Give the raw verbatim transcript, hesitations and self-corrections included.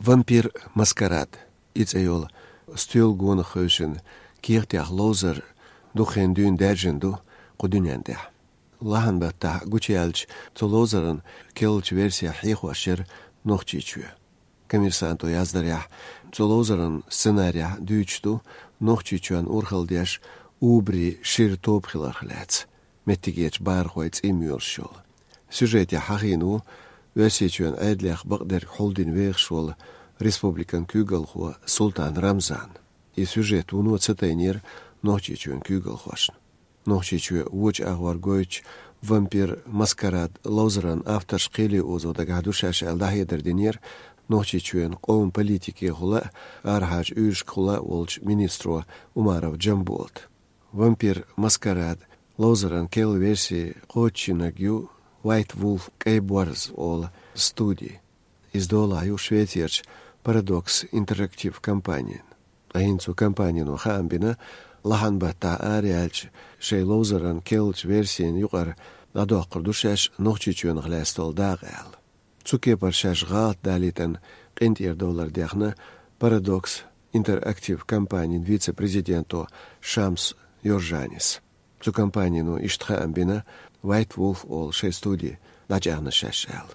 Вампир маскарад, и цӀе йола стоьла гонах хевшина кехатех ловзар дукха хан дуьйна даьржина ду кху дуьнен тӀехь. Лахьан баттахь гучуяьллачу цу ловзаран керлачу версех хьехош яра Нохчийчоь. Коммерсанто яздарехь, цу ловзаран сценарехь дуьйцуш ду Нохчийчоьнан урхалла деш убари шира тоба хиларх лаьцна, меттигерчу бахархойн цӀий моьлуш йолу. Сюжетехь хьахийна ву Оьрсийчоьнан Ӏедалех бакъдерг хьулдина вехаш волу республикан куьйгалхо Султан Рамзан. И сюжет вуно ца тайнера Нохчийчоьнан куьйгалхошна. Нохчийчоь вочу агӀор гойтучу «Вампир маскарад» ловзаран авторш кхеле озо дагахь ду шаьш аьлла дӀахьедар динера Нохчийчоьнан къоман политикехула а, арахьарчу уьйрашкахула а волчу министро Умаров Джамболата. «Вампир маскарад» ловзаран керла верси кхочушйинарг ю White Wolf, кӀайн борз олу, студи. Иза долахь ю Швецерчу Paradox Interactive компанин. Ткъа хӀинца цу компанино хаам бина, лахьан баттахь араяьллачу шайн ловзаран керлачу версина юкъара дӀадоккхур ду шаьш Нохчийчоьнах лаьцна долу дакъа аьлла. Цу кепара шаьш гӀалат далийтина къинтӀера довлар дехна Paradox Interactive компанин вице-президенто Шамс Йоржанис. Цу компанино иштта хаам бина White Wolf олу шайн студи дӀачӀагӀна шаьш аьлла.